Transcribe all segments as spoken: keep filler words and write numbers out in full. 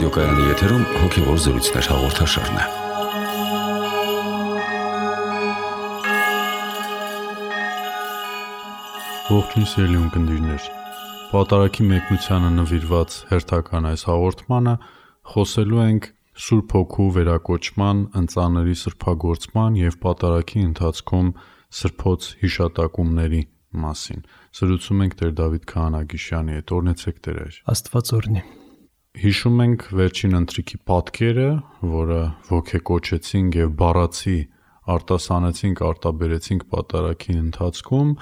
Ռադիոկայանի եթերում հոգևոր զրույցներ հաղորդաշարն է։ Ողջույն սիրելի ունկնդիրներ, Պատարագի մեկնությանը նվիրված հերթական այս հաղորդմանը խոսելու ենք Սուրբ Հոգու վերակոչման, ընծաների սրբագործման և պատարագի ընթացքում սրբոց հիշատակումների մասին։ Զրուցում ենք Տեր Դավիթ Քահանագիշյանի հետ, օրհնեցեք Տեր։ Աստված օրհնի։ Հիշում ենք վերջին ընթրիքի պատկերը, որը ոգեկոչեցինք և բառացի արտասանեցինք, արտաբերեցինք պատարագի ընթացքում,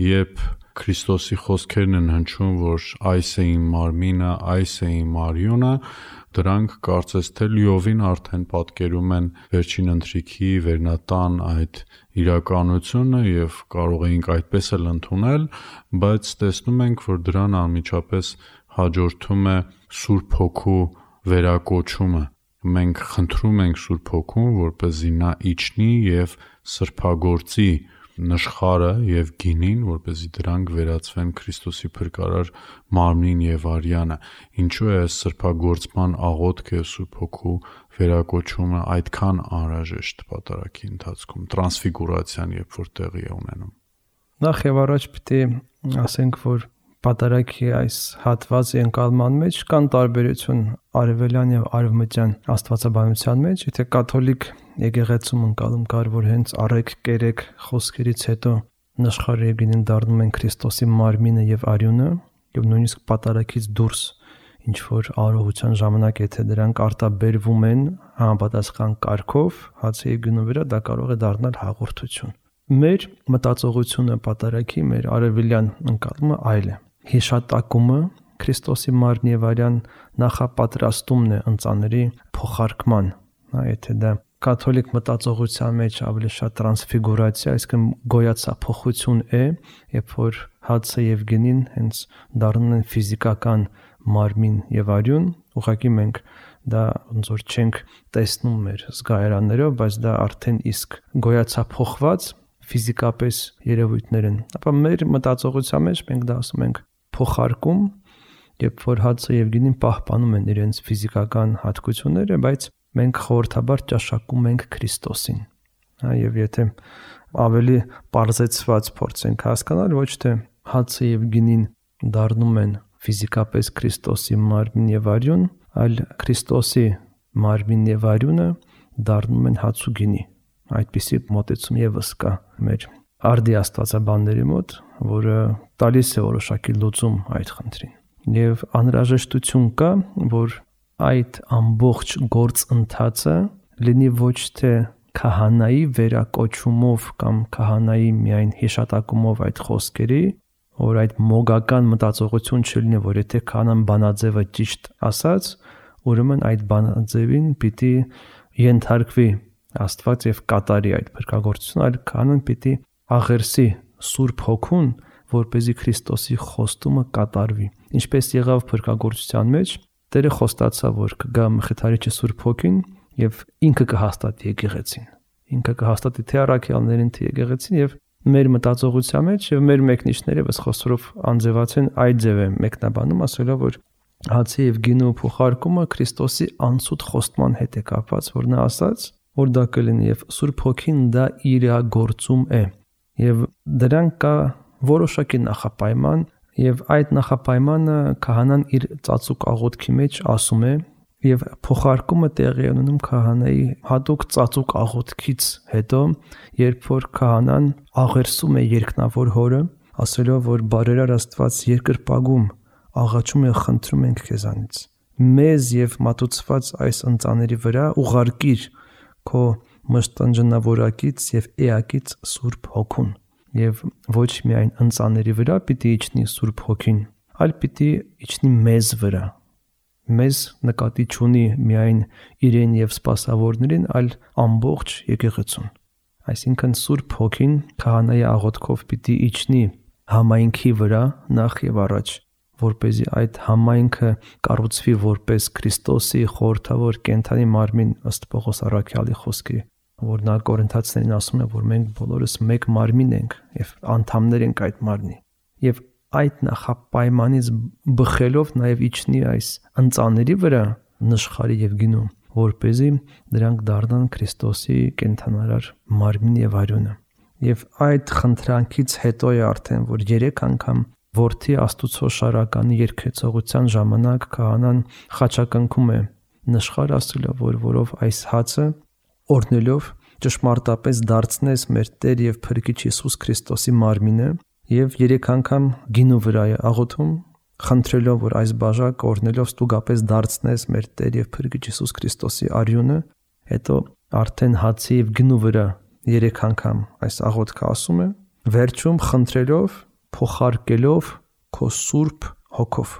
երբ Քրիստոսի խոսքերն են հնչում, որ այս է իմ մարմինը, այս է իմ արյունը, դրանք կարծես թե լիովին արդեն պատկերում են վերջին ընթրիքի վերնատան այդ իրականությունը և կարող էինք այդպես էլ ընդունել, բայց տեսնում ենք, որ դրան անմիջապես հաջորդում է Սուրբ Հոգու վերակոչումը։ Մենք խնդրում ենք Սուրբ Հոգուն, որպեսզի նա իջնի և սրբագործի նշխարը և գինին, որպեսզի դրանք վերածվեն Քրիստոսի փրկարար մարմնին և արյանը։ Ինչու է այս սրբագործման աղոթքը, Սուրբ Հոգու վերակոչումը այդքան անհրաժեշտ պատարագի ընթացքում, տրանսֆիգուրացիան, երբ որ տեղի է ունենում։ Նախ եւ առաջ պիտի ասենք, որ պատարագի այս հատվածի ընկալման մեջ կան տարբերություն արևելյան եւ արևմտյան աստվածաբանության մեջ։ Եթե կաթոլիկ եկեղեցում ընկալում կար, որ հենց առեք կերեք խոսքերից հետո նշխարը եւ գինին դառնում են Քրիստոսի մարմինը եւ արյունը, եւ նույնիսկ պատարագից դուրս ինչ որ արողության ժամանակ, եթե դրանք արտաբերվում են համապատասխան կարգով, հացի եւ գինու վրա, դա կարող է դառնալ հաղորդություն։ Մեր մտածողությունը պատարագի, մեր արևելյան ընկալումը այլ է։ Հիշատակումը Քրիստոսի մարմնի եւ արյան նախապատրաստումն է ընծաների փոխարկման, հա, եթե դա կաթոլիկ մտածողության մեջ ավելի շատ տրանսֆիգուրացիա, այսինքն գոյացափոխություն է, երբ որ հացը եւ գինին հենց դառնում են ֆիզիկական մարմին եւ արյուն, ուղղակի մենք դա ոնց որ չենք տեսնում մեր զգայարաններով, բայց դա արդեն իսկ գոյացափոխված ֆիզիկապես երևույթներ են։ Ապա մեր մտածողության մեջ մենք դա ասում ենք փոխարկում, երբ որ հացը եւ գինին պահպանում են իրենց ֆիզիկական հատկությունները, բայց մենք խորհրդաբար ճաշակում ենք Քրիստոսին։ Հա, եւ եթե ավելի պարզեցված փորձենք հասկանալ, ոչ թե հացը եւ գինին դառնում են ֆիզիկապես Քրիստոսի մարմին եւ արյուն, այլ Քրիստոսի մարմին եւ արյունը դառնում են հաց ու գինի։ Այդպիսի մոտեցում եւս կա մեր արդի աստվածաբանների մոտ, որը տալիս է որոշակի լուծում այդ խնդրին։ Եվ անհրաժեշտություն կա, որ այդ ամբողջ գործընթացը լինի ոչ թե քահանայի վերակոչումով կամ քահանայի միայն հիշատակումով այդ խոսքերի, որ այդ մոգական մտածողություն չլինի, որ եթե քահանան բանաձևը ճիշտ ասած, ուրեմն այդ բանաձևին պիտի ենթարկվի Աստված եւ կատարի այդ փրկagorցությունը, այլ քահանան պիտի աղերսի Սուրբ Հոգուն, որպեսզի Քրիստոսի խոստումը կատարվի։ Ինչպես եղավ փրկagorցության մեջ, Տերը խոստացավ, որ կգա Մխիթարիչը Սուրբ Հոգին եւ ինքը կհաստատի եկեղեցին։ Ինքը կհաստատի թե առաքյալներին, թե եկեղեցին, եւ մեր մտածողության մեջ եւ մեր մեկնիչները ըստ խոսորով անձևացեն այդ ձև է մեկնաբանում, ասելով, որ հացի եւ գինու փոխարկումը Քրիստոսի անցուտ խոստման հետ է կապված, որ նա ասաց, որ դա կլինի եւ Սուրբ Հոգին դա իրագործում է։ Եվ դրան կա որոշակի նախապայման, եւ այդ նախապայմանը քահանան իր ծածուկ աղոթքի մեջ ասում է, եւ փոխարկումը տեղի է ունենում քահանայի հատուկ ծածուկ աղոթքից հետո, երբ որ քահանան աղերսում է երկնավոր Հորը, ասելով, որ բարերար Աստված երկրպագում աղաչում է, խնդրում ենք քեզանից, մեզ եւ մատուցված այս ընծաների վրա ուղարկիր քո մշտնջնավորակից եւ էակից Սուրբ Հոգուն, եւ ոչ միայն ընծաների վրա պիտի իջնի Սուրբ Հոգին, այլ պիտի իջնի մեզ վրա։ Մեզ նկատի չունի միայն իրեն եւ սպասավորներին, այլ ամբողջ եկեղեցուն։ Այսինքն Սուրբ Հոգին քահանայի աղոթքով պիտի իջնի համայնքի վրա նախ եւ առաջ, որպեսզի այդ համայնքը կառուցվի որպես Քրիստոսի խորհրդավոր կենդանի մարմին ըստ Պողոս առաքյալի խոսքի, որ նա Կորինթացիներին ասում է, որ մենք բոլորս մեկ մարմին ենք եւ անդամներ ենք այդ մարմնի։ Եվ այդ նախապայմանից բխելով նաև իջնի այս ընծաների վրա, նշխարի եւ գինու, որպեսզի դրանք դառնան Քրիստոսի կենթանարար մարմին եւ արյունը։ Եվ այդ խնդրանքից հետո է արդեն, որ երեք անգամ որդի Աստուծո շարականի երկեցողության ժամանակ քահանան խաչակնքում է նշխար ասելով, որ որով այս հացը օրնելով ճշմարտապես դարձնես մեր Տեր եւ Փրկիչ Հիսուս Քրիստոսի մարմինը, եւ երեք անգամ գինու վրա է աղոթում, խնդրելով, որ այս բաժակը օրնելով ստուգապես դարձնես մեր Տեր եւ Փրկիչ Հիսուս Քրիստոսի արյունը, հետո արդեն հացի եւ գինու վրա երեք անգամ այս աղոթքը ասում է, վերջում խնդրելով, փոխարկելով քո սուրբ հոգով։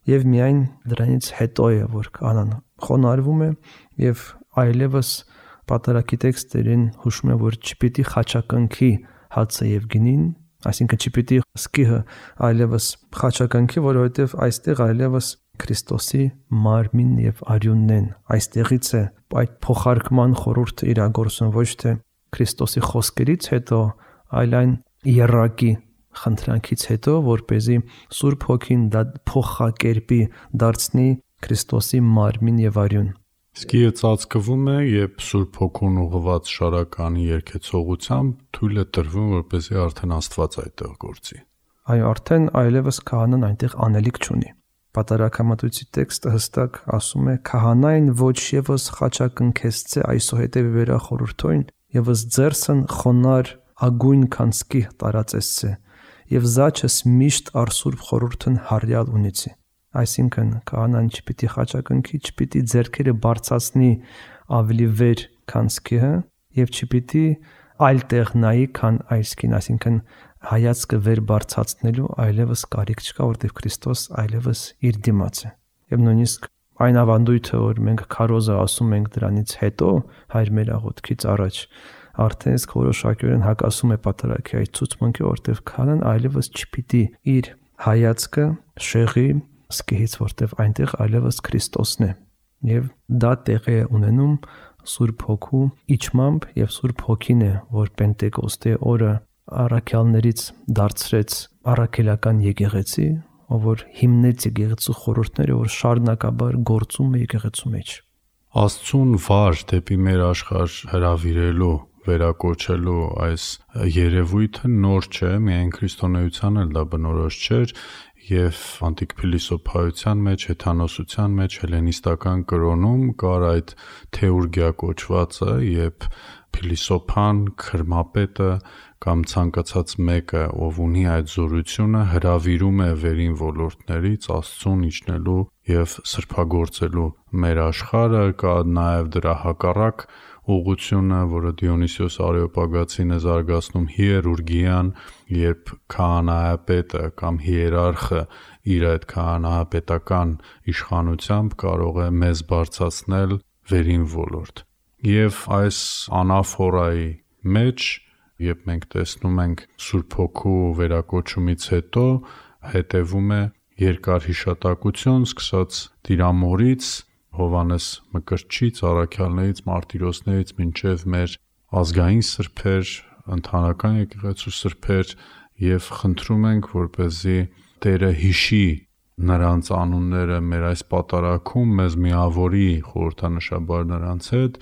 Եվ միայն դրանից հետո է, որ քահանան խոնարհվում է եւ այլևս պատարագի տեքստերին հուշում է, որ չպիտի խաչակնքի հացը եւ գինին, այսինքն չպիտի սկիհը այլևս խաչակնքի, որովհետեւ այստեղ այլևս Քրիստոսի մարմինն եւ արյունն են։ Այստեղից է այդ փոխարկման խորհուրդը իրագործում ոչ թե Քրիստոսի խոսքերից հետո, այլ այն երակի խնդրանքից հետո, որպեսզի Սուրբ Հոգին դա փոխակերպի դարձնի Քրիստոսի մարմին եւ արյուն։ Սկիը ծածկվում է, երբ Սուրբ Հոգուն ուղղված շարականի երկեցողությամբ թույլ է տրվում, որպեսզի արդեն Աստված այդտեղ գործի։ Այո, արդեն այլևս քահանան այնտեղ անելիք չունի։ Պատարագամատույցի տեքստը հստակ ասում է. «Քահանային ոչ եւս խաչակնքեսցե այսուհետև վերա խորհրդոյն, եւս ձերսն խոնար ագույն քանսկի տարածեսցե, եւ զաչս միշտ արսուրբ խորհուրդն հարյալ ունիցի»։ Այսինքն քահանան չպիտի խաչակնքի, չպիտի ձեռքերը բարձրացնի ավելի վեր քանսկիը եւ չպիտի այլ տեղ նայի, քան այսքին, այսինքն հայացքը վեր բարձրացնելու այլևս կարիք չկա, որտեղ Քրիստոս այլևս իր դիմաց է։ Եվ նույնիսկ այն ավանդույթը, որ մենք քարոզը ասում ենք դրանից հետո, հայր մեր աղոթքից առաջ, արդեն իսկ որոշակիորեն հակասում է պատարագի այդ ցուցմունքը, որտեղ քահանան այլևս չպիտի իր հայացքը շեղի սկիհից, որտեղ այնտեղ այլևս Քրիստոսն է։ Եվ դա տեղի է ունենում Սուրբ Հոգու իջմամբ, եւ Սուրբ Հոգին է, որ Պենտեկոստե օրը առաքյալներից դարձրեց առաքելական եկեղեցի, ով որ հիմնեց եկեղեցու խորհուրդները, որ շարունակաբար գործում է եկեղեցու մեջ։ Աստծուն վար դեպի մեր աշխարհ հրավիրելու, վերակոչելու այս երևույթը նոր չէ, միայն քրիստոնեության էլ դա բնորոշ չէր, եւ անտիկ փիլիսոփայության մեջ, հեթանոսության մեջ, հելենիստական կրոնում կար այդ թեուրգիա կոչվածը, երբ փիլիսոփան, քրմապետը կամ ցանկացած մեկը, ով ունի այդ զորությունը, հրավիրում է վերին ոլորտներից Աստծուն իջնելու եւ սրբագործելու մեր աշխարհը։ Կա նաեւ դրա հակառակ ուղղությունը, որը Դիոնիսիոս Արեոպագացին է զարգացնում, հիերուրգիան, երբ քահանայապետը կամ հիերարխը իր այդ քահանայապետական իշխանությամբ կարող է մեզ բարձրացնել վերին ոլորտ։ Եվ այս անաֆորայի մեջ, երբ մենք տեսնում ենք Սուրբ Հոգու վերակոչումից հետո, հետևում է երկար հիշատակություն, սկսած Տիրամորից, Հովանես Մկրտչից, առաքյալներից, մարտիրոսներից մինչև մեր ազգային սրբեր, ընդհանրական եկեղեցու սրբեր, եւ խնդրում ենք, որպեսզի Տերը հիշի նրանց անունները մեր այս պատարագում, մեզ միավորի խորհրդանշաբար նրանց հետ,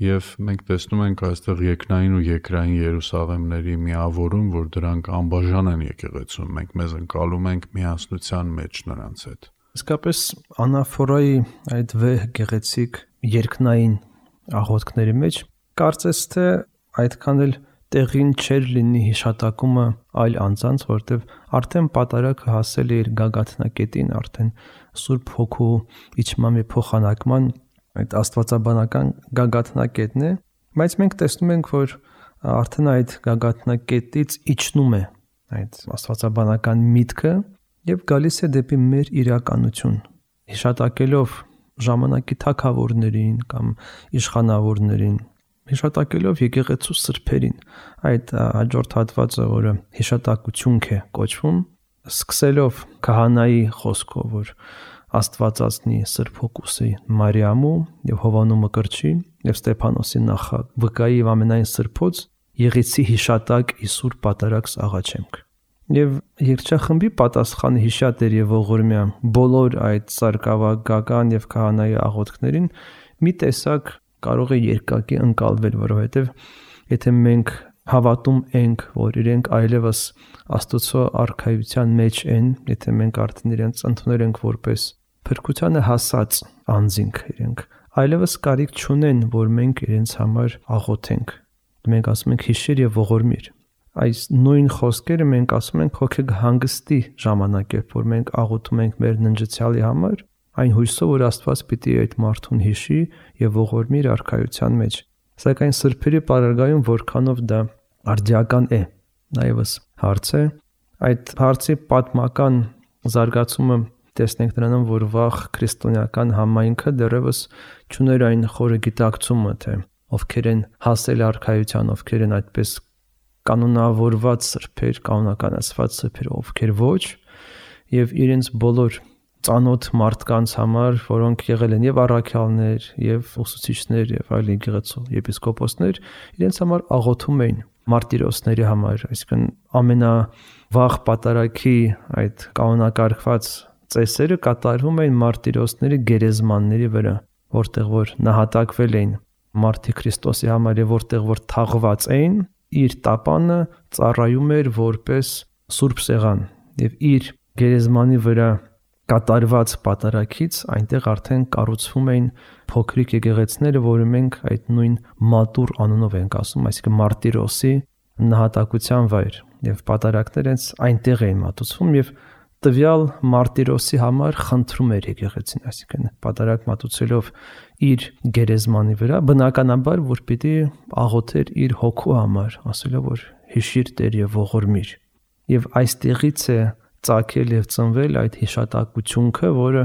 եւ մենք տեսնում ենք այստեղ երկնային ու երկրային Երուսաղեմների միավորում, որ դրանք անբաժան են եկեղեցում, մենք մեզ ընկալում ենք միասնության մեջ նրանց հետ։ Իսկապես անաֆորայի այդ վեհ գեղեցիկ երկնային աղոթքների մեջ կարծես թե այդքան էլ տեղին չէր լինի հիշատակումը այլ անձանց, որտեղ արդեն պատարագը հասել է իր գագաթնակետին, արդեն Սուրբ Հոգու իջման եւ փոխանակման այդ աստվածաբանական գագաթնակետն է, բայց մենք տեսնում ենք, որ արդեն այդ գագաթնակետից իջնում է այդ աստվածաբանական միտքը եւ գալիս է դեպի մեր իրականություն, հիշատակելով ժամանակի թագավորներին կամ իշխանավորներին, հիշատակելով եկեղեցու սրբերին, այդ հաջորդ հատվածը, որը հիշատակություն է կոչվում, սկսելով քահանայի խոսքով, որ Աստվածածնի Սրբ Հոգուսի Մարիամու եւ Հովանու Մկրտչի եւ Ստեփանոսի նախակ վկայի եւ ամենայն սրբոց Եղեցի հիշատակ Իսուր պատարակս աղաչեմք։ Եվ երգչախմբի պատասխանը հիշատեր եւ ողորմյա բոլոր այդ սարկավագական եւ քահանայի աղոթքներին մի տեսակ կարող է երկակի ընկալվել, որովհետեւ եթե մենք հավատում ենք, որ իրենք այլևս Աստծո արքայության մեջ են, եթե մենք արդեն իրենց ընդունել ենք որպես փրկությանը հասած անձինք, իրենք այլևս կարիք չունեն, որ մենք իրենց համար աղոթենք։ Մենք ասում ենք հիշիր եւ ողորմիր։ Այս նույն խոսքերը մենք ասում ենք հոգեգ հանգստի ժամանակերբ, որ մենք աղոթում ենք մեր ննջեցյալի համար, այն հույսով, որ Աստված պիտի այդ մարդուն հիշի եւ ողորմի իր արքայության մեջ։ Սակայն սրբերի պարագայում որքանով դա արդիական է, նաեւս հարց է։ Այդ հարցի պատմական զարգացումը տեսնենք նրանում, որ վաղ քրիստոնեական համայնքը դեռևս չուներ այն խորը գիտակցումը, թե ովքեր են հասել արքայության, ովքեր են այդպես կանոնավորված սրբեր, կանոնականացված սրբեր, ովքեր ոչ, եւ իրենց բոլոր ծանոթ մարդկանց համար, որոնք եղել են եւ առաքյալներ, եւ ուսուցիչներ, եւ այլ եկեղեցու եպիսկոպոսներ, իրենց համար աղոթում էին մարտիրոսների համար, այսինքն ամենավաղ պատարագի այդ կանոնակարգված ծեսերը կատարվում էին մարտիրոսների գերեզմանների վրա, որտեղ որ նահատակվել էին մարտի Քրիստոսի համար եւ որտեղ որ թաղված էին, իր տապանը ծառայում էր որպես սուրբ սեղան եւ իր գերեզմանի վրա կատարված պատարագից այնտեղ արդեն կառուցվում էին փոքրիկ եկեղեցիները, որը մենք այդ նույն մատուր անունով ենք ասում, այսինքն մարտիրոսի նահատակության վայր եւ պատարագները այնտեղ էին մատուցվում եւ տվյալ մարտիրոսի համար խնդրում էր եկեղեցին, այսինքն պատարագ մատուցելով իր գերեզմանի վրա, բնականաբար որ պիտի աղոթեր իր հոգու համար, ասելով որ հիշիր Տեր եւ ողորմիր։ Եվ այստեղից է ծագել եւ ծնվել այդ հիշատակությունը, որը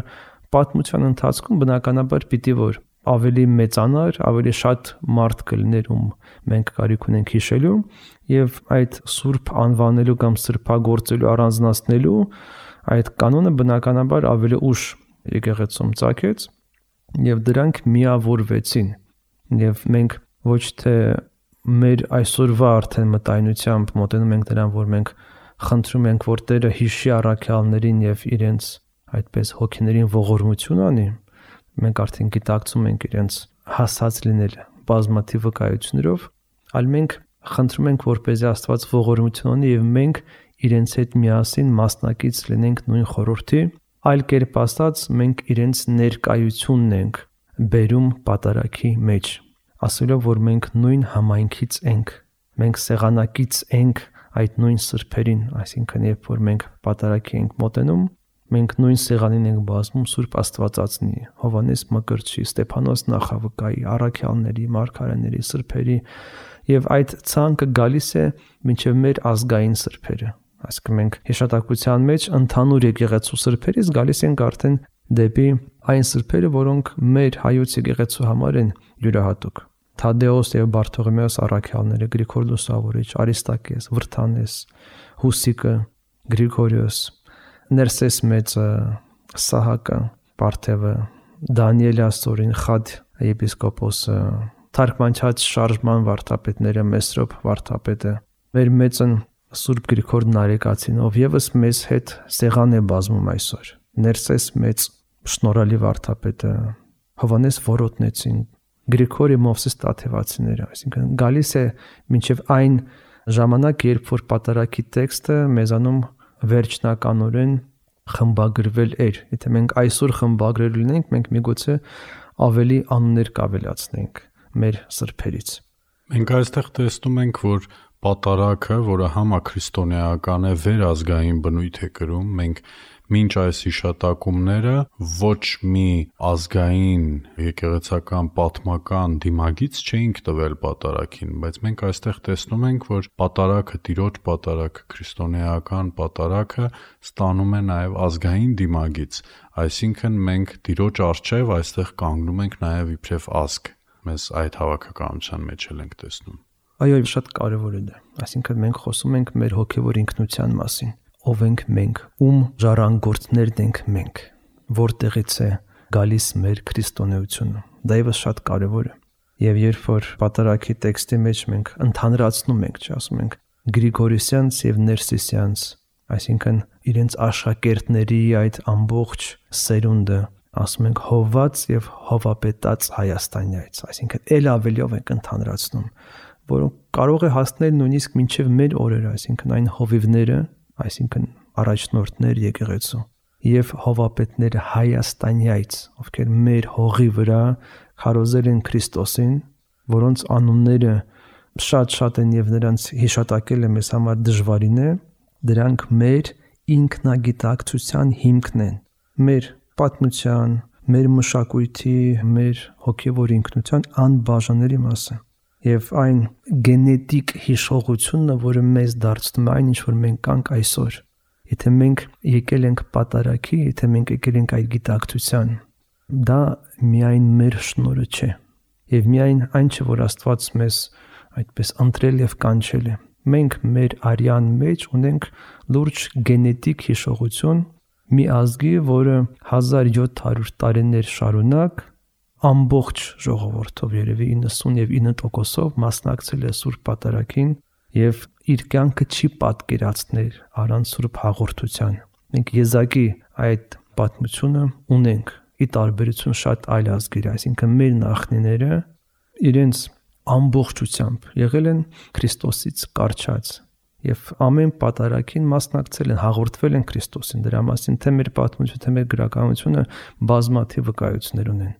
պատմության ընթացքում բնականաբար պիտի որ ավելի մեծանար, ավելի շատ մարդ կլիներ, ում մենք կարիք ունենք հիշելու եւ այդ սուրբ անվանելու կամ սրբագործելու առանձնացնելու այդ կանոնը բնականաբար ավելի ուշ եկեղեցում ծագեց եւ դրանք միավորվեցին եւ մենք ոչ թե մեր այսօրվա արդեն մտայնությամբ մոտենում ենք դրան, որ մենք խնդրում ենք, որ Տերը հիշի առաքյալներին եւ իրենց այդպես հոգիներին ողորմություն անի, մենք արդեն գիտակցում ենք իրենց հասած լինել բազմաթիվ վկայություններով, այլ մենք խնդրում ենք, որպեսզի Աստված ողորմություն ունի եւ մենք իրենց հետ միասին մասնակից լինենք նույն խորհրդի, այլ կերպ ասած մենք իրենց ներկայությունն ենք բերում պատարագի մեջ, ասելով որ մենք նույն համայնքից ենք, մենք սեղանակից ենք այդ նույն սրբերին, այսինքն երբ որ մենք պատարագի ենք մոտենում, մենք նույն սեղանին ենք բազմում Սուրբ Աստվածածնի, Հովհաննես Մկրտչի, Ստեփանոս Նախավկայի, առաքյալների, մարգարեների, սրբերի եւ այդ ցանկը գալիս է մինչեւ մեր ազգային սրբերը։ Այսինքն մենք հիշատակության մեջ ընդհանուր եկեղեցու սրբերից գալիս ենք արդեն դեպի այն սրբերը, որոնք մեր հայոց եկեղեցու համար են յուրահատուկ։ Թադեոս եւ Բարթողոմեոս առաքյալները, Գրիգոր Լուսավորիչ, Արիստակես, Վրթանես, Հուսիկը, Գրիգորիոս, Ներսես Մեծը, Սահակը, Պարթևը, Դանիել Աստորին, Խադ եպիսկոպոսը, թարգմանչած շարժման վարդապետները, Մեսրոպ վարդապետը, մեր մեծն Սուրբ Գրիգոր Նարեկացին, ով եւս մեզ հետ սեղան է բազմում այսօր, Ներսես Մեծ, շնորհալի վարդապետը, Հովհաննես Որոտնեցին, Գրիգորի Մովսես Տաթևացիները, այսինքն գալիս է մինչև այն ժամանակ, երբ որ պատարագի տեքստը մեզանում վերջնականորեն խմբագրվել էր։ Եթե մենք այսօր խմբագրել լինենք, մենք միգուցե ավելի անուններ կավելացնենք մեր սրբերից։ Մենք այստեղ տեսնում ենք, որ պատարագը, որը համաքրիստոնեական է, վերազգային բնույթ է կրում, մենք մինչ այս հիշատակումները ոչ մի ազգային եկեղեցական պատմական դիմագից չէինք տվել պատարագին, բայց մենք այստեղ տեսնում ենք, որ պատարագը, Տիրոջ պատարագը, քրիստոնեական պատարագը ստանում է նաև ազգային դիմագից, այսինքն մենք Տիրոջ առջև այստեղ կանգնում ենք նաև իբրև ազգ, մեզ այդ հավաքականության մեջ էլ ենք տեսնում։ Այո, շատ կարևոր է դա, այսինքն մենք խոսում ենք մեր հոգևոր ինքնության մասին, ով ենք մենք, ում ժառանգորդներն ենք մենք, որտեղից է գալիս մեր քրիստոնեությունը, դա եւս շատ կարևոր է։ Եվ երբ որ պատարագի տեքստի մեջ մենք ընդհանրացնում ենք, չէ, ասում ենք Գրիգորիսյանց եւ Ներսիսյանց այսինքն իրենց աշակերտների այդ ամբողջ սերունդը, ասում ենք հովված եւ հովապետած Հայաստանյայց, այսինքն ել ավելիով ենք ընդհանրացնում, որոնք կարող է հասնել նույնիսկ մինչև մեր օրերը, այսինքն այն հովիվները, այսինքն առաջնորդներ եկեղեցու եւ հովապետները Հայաստանյայց, ովքեր մեր հողի վրա քարոզել են Քրիստոսին, որոնց անունները շատ-շատ են եւ նրանց հիշատակելը մեզ համար դժվարին է, դրանք մեր ինքնագիտակցության հիմքն են, մեր պատմության, մեր մշակույթի, մեր հոգևոր ինքնության անբաժանելի մասը եւ այն գենետիկ հիշողությունը, որը մեզ դարձնում է այն, ինչ որ մենք կանք այսօր։ Եթե մենք եկել ենք պատարագի, եթե մենք եկել ենք այդ գիտակցության, դա միայն մեր շնորհը չէ։ Եվ միայն այն չէ, որ Աստված մեզ այդպես ընտրել եւ կանչել է։ Մենք մեր արյան մեջ ունենք լուրջ գենետիկ հիշողություն մի ազգի, որը հազար յոթ հարյուր տարիներ շարունակ ամբողջ ժողովրդով երևի իննսունինը տոկոսով մասնակցել է Սուրբ Պատարագին եւ իր կյանքը չի պատկերացնել առանց Սուրբ հաղորդության։ Մենք եզակի այդ պատմությունը ունենք ի տարբերություն շատ այլ ազգերի, այսինքն մեր նախնիները իրենց ամբողջությամբ եղել են Քրիստոսից կարճած եւ ամեն պատարագին մասնակցել են, հաղորդվել են Քրիստոսին, դրա մասին թե մեր պատմությունը, թե մեր գրականությունը բազմաթիվ վկայություններ ունեն։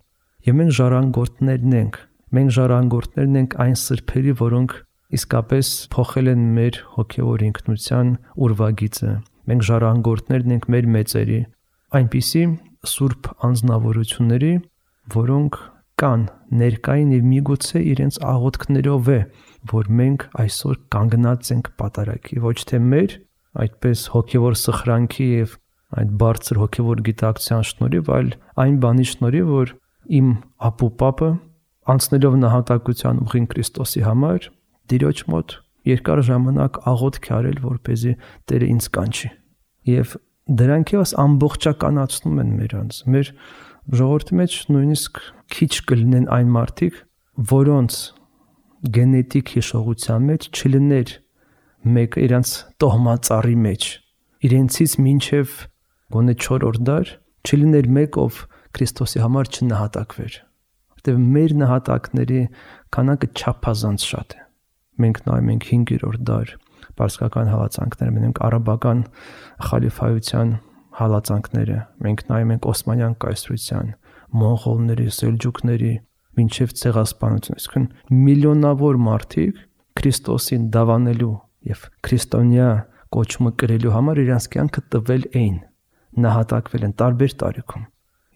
Եվ մենք ժառանգորդներն ենք, մենք ժառանգորդներն ենք այն սրբերի, որոնք իսկապես փոխել են մեր հոգևոր ինքնության ուրվագիծը։ Մենք ժառանգորդներն ենք մեր մեծերի, այնպիսի սուրբ անձնավորությունների, որոնք կան ներկային եւ միգուցե իրենց աղոթքներով է, որ մենք այսօր կանգնած ենք պատարագի, ոչ թե մեր այդպես հոգևոր սխրանքի եւ այդ բարձր հոգևոր գիտակցության շնորհիվ, այլ այն բանի շնորհիվ, որ իմ ապուպապը անցնելով նահատակության ուղին Քրիստոսի համար Տիրոջ մոտ երկար ժամանակ աղոթք է արել, որպեսզի Տերը ինձ կանչի։ Եվ դրանք եւս ամբողջականացնում են մերանց։ Մեր ժողովրդի մեջ նույնիսկ քիչ կլինեն այն մարդիկ, որոնց գենետիկ հիշողության մեջ չլիներ մեկը իրանց տոհմածառի մեջ, իրենցից մինչև գոնե չորրորդ դար չլիներ մեկ, ով Քրիստոսի համար չնահատակվեր, որտեղ մեր նահատակների քանակը չափազանց շատ է։ Մենք նայում ենք հինգերորդ դար պարսկական հալածանքները, մենք արաբական խալիֆայության հալածանքները, մենք նայում ենք Օսմանյան կայսրության, մոնղոլների, սելջուկների, մինչև ցեղասպանություն, այսինքն միլիոնավոր մարդիկ Քրիստոսին դավանելու եւ քրիստոնյա կոչումը կրելու համար իրենց կյանքը տվել էին, նահատակվել են տարբեր տարիքում։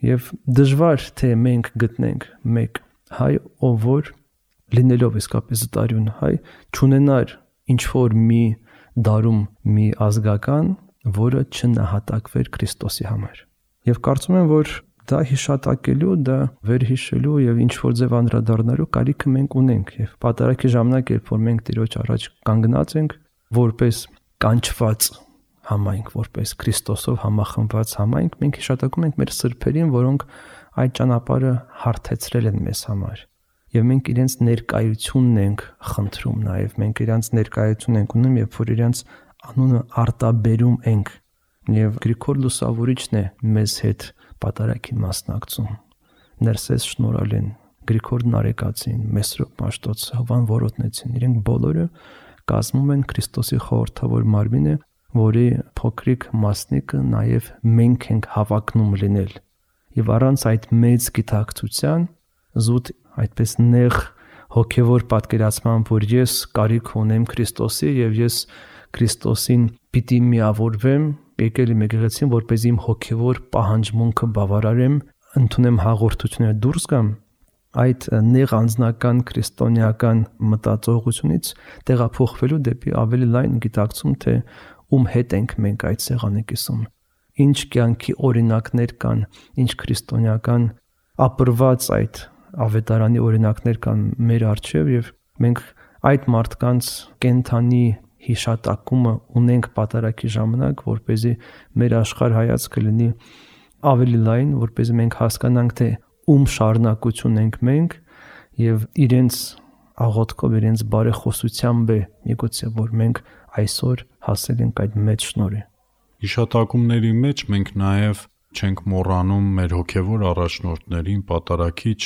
Եվ դժվար թե մենք գտնենք մեկ հայ, ով որ լինելով իսկապես զտարյուն հայ, չունենար ինչ որ մի դարում մի ազգական, որը չնահատակվեր Քրիստոսի համար։ Եվ կարծում եմ, որ դա հիշատակելու, դա վերհիշելու եւ ինչ որ ձև անդրադառնալու կարիքը մենք ունենք եւ պատարագի ժամանակ, երբ որ մենք Տիրոջ առաջ կանգնած ենք, որպես կանչված համայնք, որպես Քրիստոսով համախմբված համայնք, մենք հիշատակում ենք մեր սրբերին, որոնք այդ ճանապարհը հարթեցրել են մեզ համար։ Եվ մենք իրենց ներկայությունն ենք խնդրում, նաեւ մենք իրենց ներկայություն ենք ունում, երբ որ իրենց անունը արտաբերում ենք։ Եվ Գրիգոր Լուսավորիչն է մեզ հետ պատարագին մասնակցում։ Ներսես Շնորհալին, Գրիգոր Նարեկացին, Մեսրոպ Մաշտոցը, Հովան Որոտնեցին, իրենք բոլորը կազմում են Քրիստոսի խորհրդավոր մարմինը, որի փոքրիկ մասնիկը նաև մենք ենք հավակնում լինել։ Եվ առանց այդ մեծ գիտակցության, զուտ այդպես նեղ հոգևոր պատկերացման, որ ես կարիք ունեմ Քրիստոսի եւ ես Քրիստոսին պիտի միավորվեմ, եկել եմ եկեղեցին, որպեսզի իմ հոգևոր պահանջմունքը բավարարեմ, ընդունեմ հաղորդությունը դուրս գամ, այդ նեղ անձնական քրիստոնեական մտածողությունից տեղափոխվելու դեպի ավելի լայն գիտակցում, թե ում հետ ենք մենք այդ սեղանի կիսում, ինչ կյանքի օրինակներ կան, ինչ քրիստոնեական ապրված այդ ավետարանի օրինակներ կան մեր առջև եւ մենք այդ մարդկանց կենթանի հիշատակումը ունենք պատարագի ժամանակ, որպեսզի մեր աշխարհ հայացքը լինի ավելի լայն, որպեսզի մենք հասկանանք, թե ում շարունակություն ենք մենք եւ իրենց աղոթքով, իրենց բարեխոսությամբ է միգուցե որ մենք այսօր հասել ենք այդ մեծ շնորհի։ Հիշատակումների մեջ մենք նաև չենք մոռանում մեր հոգևոր առաջնորդներին, պատարակիչ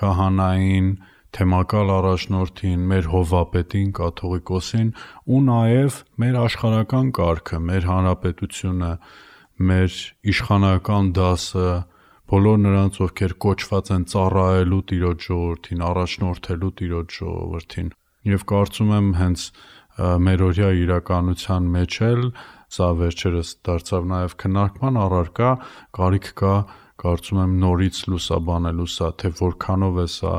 քահանային, թեմակալ առաջնորդին, մեր հովվապետին, կաթողիկոսին ու նաև մեր աշխարհական կարգը, մեր հանրապետությունը, մեր իշխանական դասը, բոլոր նրանց, ովքեր կոչված են ծառայելու Տիրոջ ժողովրդին, առաջնորդելու Տիրոջ ժողովրդին։ Եվ կարծում եմ հենց մերօրյա իրականության մեջ էլ սա վերջերս դարձավ նաև քննարկման առարկա, կարիք կա, կարծում եմ նորից լուսաբանելու սա, թե որքանով է սա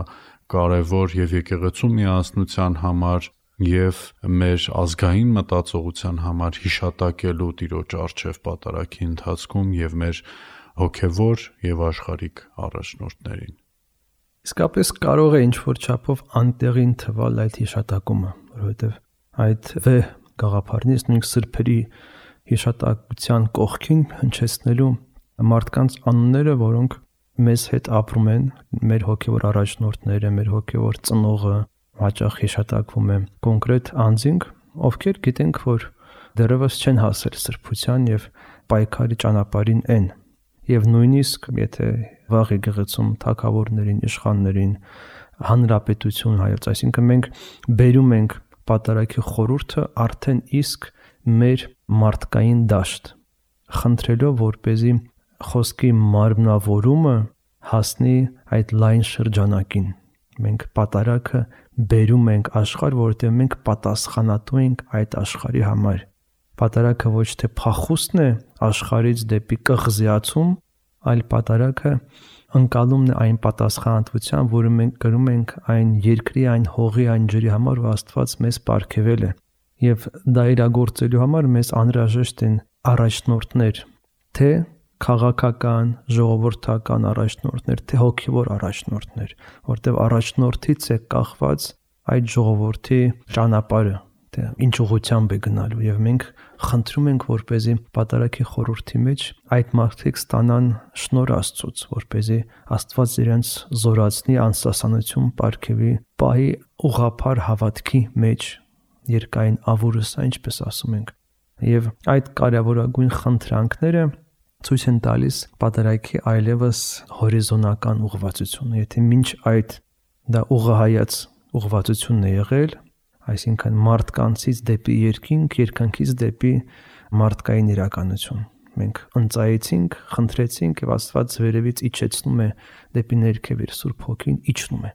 կարևոր եւ եկեղեցու միասնության համար եւ մեր ազգային մտածողության համար հիշատակելու Տիրոջ առջև պատարակի ընթացքում եւ մեր հոգևոր եւ աշխարհիկ առաջնորդներին։ Իսկապես կարող է ինչ-որ չափով անտեղին թվալ այդ հիշատակումը, որովհետեւ այդ վեհ գաղափարներից նույնիսկ սրբերի հիշատակության կողքին հնչեցնելու մարդկանց անունները, որոնք մեզ հետ ապրում են, մեր հոգևոր առաջնորդները, մեր հոգևոր ծնողը, հաճախ հիշատակվում է կոնկրետ անձինք, ովքեր գիտենք, որ դեռևս չեն հասել սրբության եւ պայքարի ճանապարհին են։ Եվ նույնիսկ եթե վաղ եկեղեցում թագավորներին, իշխաններին, հանրապետություն հայոց, այսինքն մենք բերում ենք պատարակի խորհուրդը արդեն իսկ մեր մարդկային դաշտ, խնդրելով, որպեսզի խոսքի մարմնավորումը հասնի այդ լայն շրջանակին։ Մենք պատարակը բերում ենք աշխարհ, որովհետև մենք պատասխանատու ենք այդ աշխարհի համար։ Պատարակը ոչ թե փախուստն է աշխարհից դեպի կղզիացում, այլ պատարակը ընկալումն է այն պատասխանատվության, որը մենք կրում ենք այն երկրի, այն հողի, այն ջրի համար, որ Աստված մեզ պարգևել է։ Եվ դա իրագործելու համար մեզ անհրաժեշտ են առաջնորդներ, թե քաղաքական, ժողովրդական առաջնորդներ, թե հոգևոր առաջնորդներ, որտեղ առաջնորդից է կախված այդ ժողովրդի ճանապարհը, թե ինչ ուղղությամբ է գնալու, եւ մենք խնդրում ենք, որպեսզի պատարակի խորհրդի մեջ այդ մարդիկ ստանան շնորհ Աստծուց, որպեսզի Աստված իրենց զորացնի, անսասանություն պարգևի, պահի ուղղափառ հավատքի մեջ, երկայն ավուրսա, ինչպես ասում ենք։ Եվ այդ կարևորագույն խնդրանքները ցույց են տալիս պատարակի այլևս հորիզոնական ուղղվածությունը։ Եթե մինչ այդ դա ուղղահայաց ուղղվածությունն է եղել, այսինքն մարդկանցից դեպի երկինք, երկնքից դեպի մարդկային իրականություն։ Մենք ընծայեցինք, խնդրեցինք եւ Աստված վերևից իջեցնում է դեպի ներքև իր Սուրբ Հոգին իջնում է։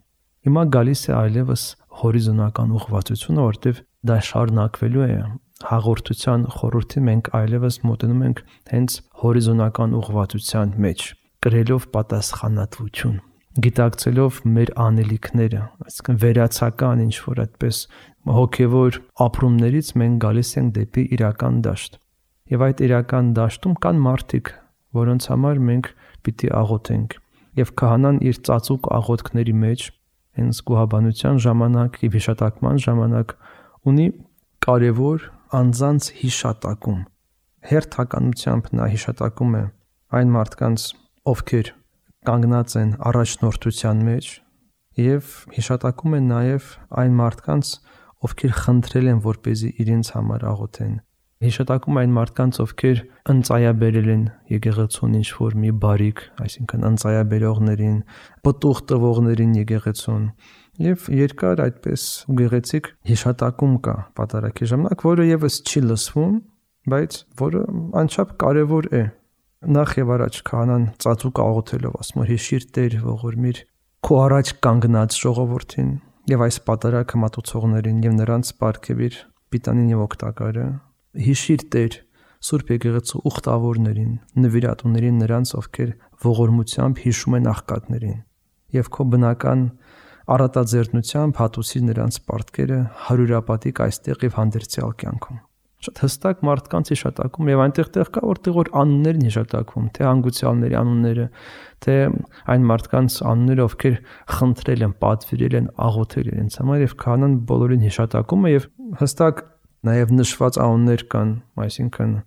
Հիմա գալիս է այլևս հորիզոնական ուղղվածությունը, որտեղ դա շարունակվելու է հաղորդության խորհրդի մենք այլևս մոտենում ենք հենց հորիզոնական ուղղվածության մեջ, կրելով պատասխանատվություն, գիտակցելով մեր անելիքները, այսինքն վերացական ինչ որ այդպես հոգևոր ապրումներից մենք գալիս ենք դեպի իրական դաշտ։ Եվ այդ իրական դաշտում կան մարդիկ, որոնց համար մենք պիտի աղոթենք։ Եվ քահանան իր ծածուկ աղոթքների մեջ հենց գոհաբանության ժամանակ եւ հիշատակման ժամանակ ունի կարևոր անձանց հիշատակում։ Հերթականությամբ նա հիշատակում է այն մարդկանց, ովքեր կանգնած են առաջնորդության մեջ, եւ հիշատակում է նաեւ այն մարդկանց, ովքեր խնդրել են, որպեսզի իրենց համար աղոթեն։ Հիշատակում այն մարդկանց, ովքեր ընծայաբերել են եկեղեցուն ինչ-որ մի բարիք, այսինքն ընծայաբերողներին, պտուղ տվողներին եկեղեցուն, եւ երկար այդպես գեղեցիկ հիշատակում կա պատարակի ժամանակ, որը եւս չի լսվում, բայց որը անչափ կարեւոր է։ Նախ եւ առաջ քահանան ծածուկ աղոթելով ասում է հիշիր Տեր, ողորմիր քո առաջ կանգնած ժողովրդին եւ այս պատարակը մատուցողներին եւ նրանց պարգևիր պիտանին եւ օգտակարը։ Հիշիր Տեր Սուրբ եկեղեցու ուխտավորներին, նվիրատուներին, նրանց, ովքեր ողորմությամբ հիշում են աղքատներին, եւ քո բնական առատաձեռնությամբ հատուցի նրանց պարտքերը հարյուրապատիկ այստեղ եւ հանդերձյալ կյանքում։ Շատ հստակ մարդկանց հիշատակում եւ այնտեղ տեղ կա, որտեղ որ անուններն հիշատակվում, թե հանգուցյալների անունները, թե այն մարդկանց անունները, ովքեր խնդրել են, պատվիրել են, աղոթել իրենց համար, եւ քահանան բոլորին հիշատակում է եւ հստակ նաեւ նշված անուններ կան, այսինքն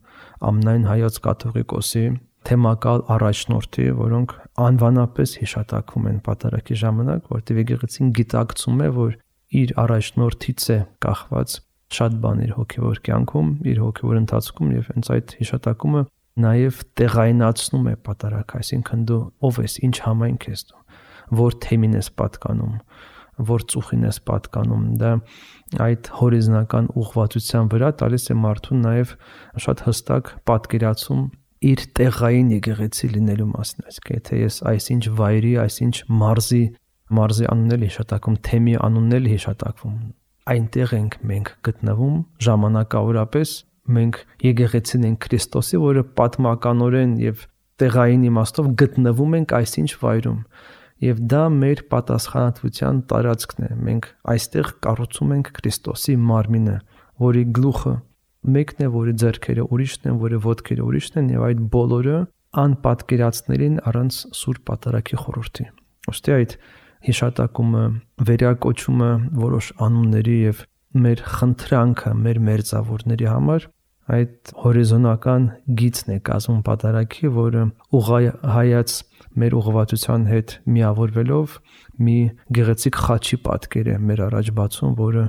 ամենայն հայոց կաթողիկոսի թեմակալ առաջնորդի, որոնք անվանապես հիշատակվում են պատարակի ժամանակ, որտեղ եկեղեցին գիտակցում է, որ իր առաջնորդից է կախված շատ բան իր հոգևոր կյանքում, իր հոգևոր ընթացքում եւ հենց այդ հիշատակումը նաև տեղայնացնում է պատարագը, այսինքն դու ով ես, ինչ համայնք ես դու, որ թեմին ես պատկանում, որ ծուխին ես պատկանում, դա այդ հորիզոնական ուղղվածության վրա տալիս է մարդուն նաև շատ հստակ պատկերացում իր տեղային եկեղեցի լինելու մասին, այսինքն եթե ես այսինչ վայրի, այսինչ մարզի, մարզի անունն էլ հիշատակում, թեմի անունն էլ հիշատակվում, այնտեղ ենք մենք գտնվում ժամանակավորապես, մենք եկեղեցին ենք Քրիստոսի, որը պատմականորեն եւ տեղային իմաստով գտնվում ենք այսինչ վայրում, եւ դա մեր պատասխանատվության տարածքն է, մենք այստեղ կառուցում ենք Քրիստոսի մարմինը, որի գլուխը մեկն է, որի ձեռքերը ուրիշն են, որի ոտքերը ուրիշն են եւ այդ բոլորը անպատկերացներին առանց Սուրբ Պատարագի խորհրդի։ Ոստի այդ հիշատակումը, վերակոչումը որոշ անունների եւ մեր խնդրանքը մեր մերձավորների համար այդ հորիզոնական գիծն է կազմում Պատարագի, որը ուղղահայաց մեր ուղղվածության հետ միավորվելով մի գեղեցիկ խաչի պատկեր է մեր առաջ բացում, որը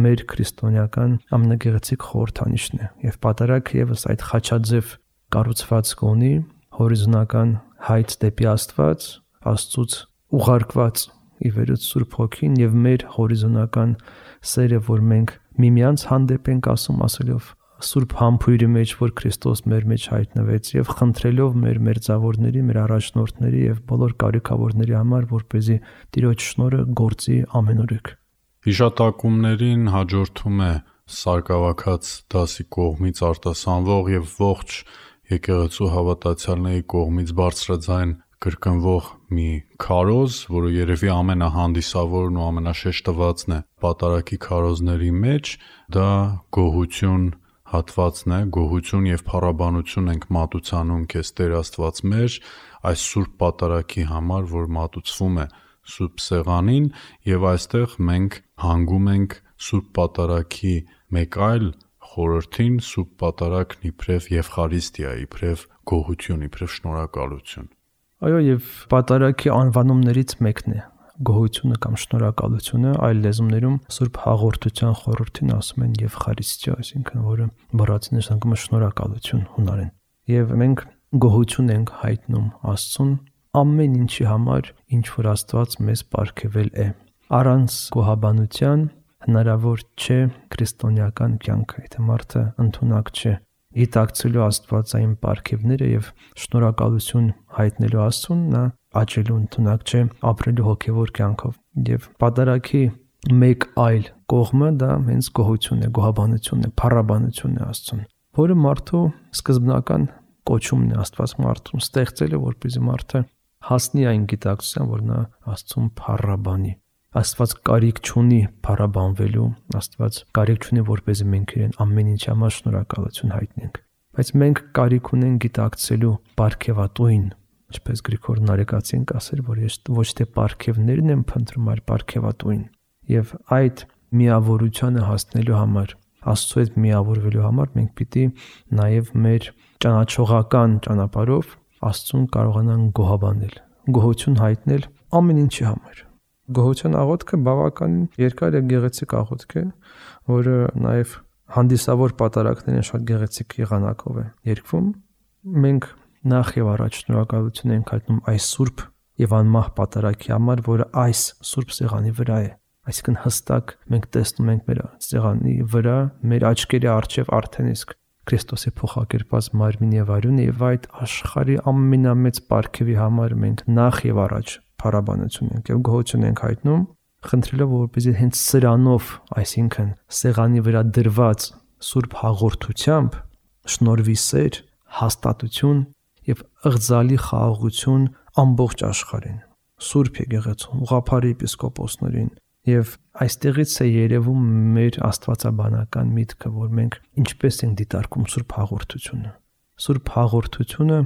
մեր քրիստոնեական ամենագեղեցիկ խորհրդանիշն է։ Եվ Պատարագը եւս այդ խաչաձև կառուցվածք ունի հորիզոնական հայց դեպի Աստված, Աստծուց ուղարկված ի վերուց Սուրբ Հոգին եւ մեր հորիզոնական սերը, որ մենք միմյանց հանդեպ ենք ասում, ասելով Սուրբ համբույրի մեջ, որ Քրիստոս մեր մեջ հայտնվեց եւ խնդրելով մեր մերձավորների, մեր առաջնորդների եւ բոլոր կարիքավորների համար, որպեսզի Տիրոջ շնորհը գործի ամենուրեք։ Հիշատակումներին հաջորդում է սարկավաքած դասի կողմից արտասանվող եւ ողջ եկեղեցու հավատացյալների կողմից բարձրաձայն կրկնվող մի քարոզ, որը երևի ամենահանդիսավորն ու ամենաշեշտվածն է Պատարագի քարոզների մեջ, դա գոհություն հատվածն է, գոհություն եւ փառաբանություն ենք մատուցանում քեզ Տեր Աստված մեր այս Սուրբ Պատարագի համար, որ մատուցվում է Սուրբ Սեղանին, եւ այստեղ մենք հանգում ենք Սուրբ Պատարագի մեկ այլ խորհրդին, Սուրբ Պատարագն իբրև Եվխարիստիա, իբրև գոհություն, իբրև շնորհակալություն։ Այո, եւ Պատարագի անվանումներից մեկն է գոհությունը կամ շնորհակալությունը, այլ լեզուներում Սուրբ Հաղորդության խորհրդին ասում են Եվխարիստիա, այսինքն որը բառացի նշանակում է շնորհակալություն հունարեն։ Եվ մենք գոհություն ենք հայտնում Աստծուն ամեն ինչի համար, ինչ որ Աստված մեզ պարգևել է։ Առանց գոհաբանության հնարավոր չէ քրիստոնեական կյանքը, եթե մարդը ընդունակ չէ գիտակցելու Աստվածային պարգևները եւ շնորհակալություն հայտնելու Աստծուն, նա աճելու ընդունակ չէ ապրելու հոգևոր կյանքով։ Եվ Պատարագի մեկ այլ կողմը դա հենց գոհությունն է, գոհաբանությունն է, փառաբանությունն է Աստծուն, որը մարդու սկզբնական կոչումն է, Աստված մարդուն ստեղծել է, որպեսզի մարդը հասնի այն գիտակցության, որ նա Աստծուն փառաբանի։ Աստված կարիք չունի փառաբանվելու, Աստված կարիք չունի, որպեսզի մենք իրեն ամեն ինչի համար շնորհակալություն հայտնենք, բայց մենք կարիք ունենք գիտակցելու պարգևատուին, ինչպես Գրիգոր Նարեկացին կասեր, որ ես ոչ թե պարգևներն եմ փնտրում, այլ պարգևատուին։ Եվ այդ միավորությանը հասնելու համար, Աստծո հետ միավորվելու համար մենք պիտի նաև մեր ճանաչողական ճանապարհով Աստծուն կարողանանք գոհաբանել, գոհություն հայտնել ամեն ինչի համար։ Գոհության աղոթքը բավականին երկար եւ գեղեցիկ աղոթք է, որը նաև հանդիսավոր պատարագներին շատ գեղեցիկ եղանակով է երգվում։ Մենք նախ եւ առաջ շնորհակալություն ենք հայտնում այս սուրբ եւ անմահ պատարագի համար, որը այս սուրբ սեղանի վրա է։ Այսինքն հստակ մենք տեսնում ենք մեր սեղանի վրա մեր աչքերի առջև արդեն իսկ Քրիստոսի փոխակերպած մարմին եւ արյունը, եւ այդ աշխարհի ամենամեծ պարգևի համար մենք նախ եւ առաջ փառաբանություն ենք եւ գոհություն ենք հայտնում, խնդրելով որպեսզի հենց սրանով, այսինքն սեղանի վրա դրված սուրբ հաղորդությամբ շնորհվի սեր, հաստատություն եւ ըղձալի խաղաղություն ամբողջ աշխարհին, Սուրբ եկեղեցուն, ուղղափառ եպիսկոպոսներին։ Եվ այստեղից է երևում մեր աստվածաբանական միտքը, որ մենք ինչպես ենք դիտարկում Սուրբ Հաղորդությունը։ Սուրբ Հաղորդությունը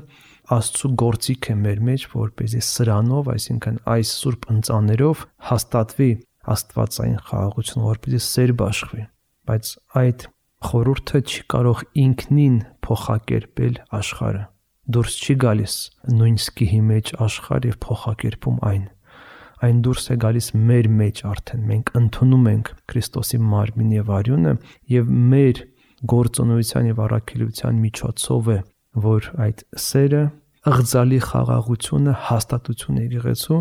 Աստծո գործիք է մեր մեջ, որպեսզի սրանով, այսինքն այս սուրբ ընծաներով հաստատվի աստվածային խաղաղություն, որպեսզի սեր բաշխվի։ Բայց այդ խորհուրդը չի կարող ինքնին փոխակերպել աշխարհը։ Դուրս չի գալիս նույն սկիհի մեջ աշխարհ եւ փոխակերպում այն։ այն դուրս է գալիս մեր մեջ արդեն։ Մենք ընդունում ենք Քրիստոսի մարմինը եւ արյունը եւ մեր գործունեության եւ առաքելության միջոցով է, որ այդ սերը, ըղձալի խաղաղությունը, հաստատությունը եկեղեցու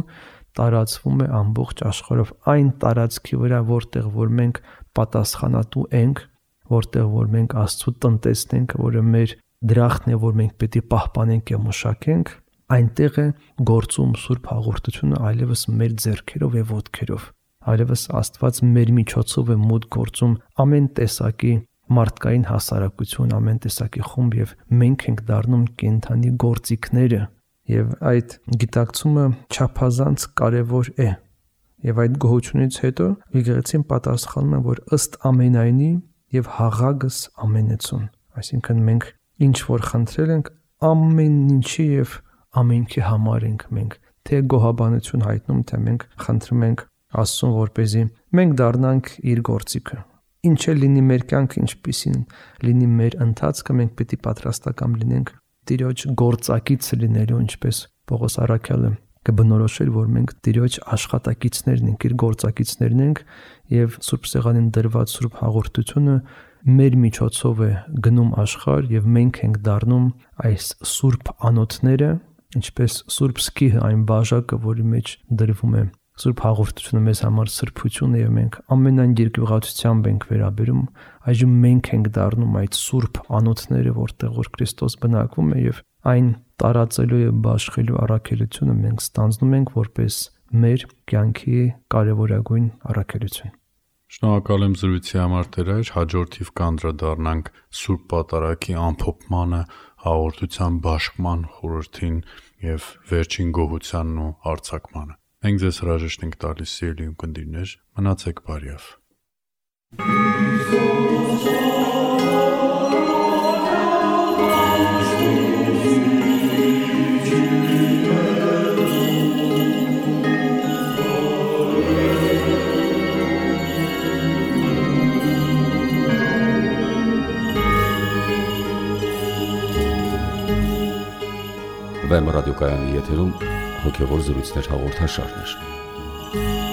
տարածվում է ամբողջ աշխարհով այն տարածքի վրա, որտեղ որ մենք պատասխանատու ենք, որտեղ որ մենք Աստծո տնտեսն ենք, որը մեր դրախտն է, որ մենք պետք է պահպանենք եւ մշակենք, այնտեղ է գործում Սուրբ Հաղորդությունը այլևս մեր ձեռքերով եւ ոտքերով։ Այլևս Աստված մեր միջոցով է մոտ գործում ամեն տեսակի մարդկային հասարակություն, ամեն տեսակի խումբ եւ մենք ենք դառնում կենթանի գործիքները եւ այդ գիտակցումը չափազանց կարեւոր է։ Եվ այդ գոհությունից հետո եկեղեցին պատասխանում է, որ ըստ ամենայնի եւ հաղագս ամենեցուն, այսինքն մենք ինչ որ խնդրել ենք ամեն ինչի եւ ամենքի համար ենք մենք թե գոհաբանություն հայտնում, թե մենք խնդրում ենք Աստծուն, որպեսզի մենք դառնանք իր գործիքը։ Ինչ է լինի մեր կյանքը, ինչպիսին լինի մեր ընթացքը, մենք պետք է պատրաստական լինենք Տիրոջ գործակից լինելու, ինչպես Պողոս առաքյալը կբնորոշել, որ մենք Տիրոջ աշխատակիցներն ենք, իր գործակիցներն ենք եւ Սուրբ Սեղանին դրված Սուրբ Հաղորդությունը մեր միջոցով է գնում աշխարհ եւ մենք ենք դառնում այս Սուրբ անոթները, ինչպես Սուրբ Սկիհը, այն բաժակը, որի մեջ դրվում է Սուրբ Հաղորդությունը մեզ համար սրբություն է եւ մենք ամենայն երկյուղացությամբ ենք վերաբերում, այժմ մենք ենք դառնում այդ Սուրբ անոթները, որտեղ որ Քրիստոս բնակվում է եւ այն տարածելու եւ բաշխելու առաքելությունը մենք ստանձնում ենք որպես մեր կյանքի կարևորագույն առաքելություն։ Շնորհակալ եմ զրույցի համար Տեր, հաջորդ թիվ կանդրադառնանք Սուրբ Պատարագի ամփոփմանը, հաղորդության բաշխման խորհրդին եւ վերջին գոհությանն ու արձակմանը։ Մենք ձեզ հրաժեշտ ենք տալիս, սիրելի ունկնդիրներ, մնացեք բարյավ։ Վեմ ռադիոկայանի եթերում հոգևոր զրույցներ հաղորդաշարներ։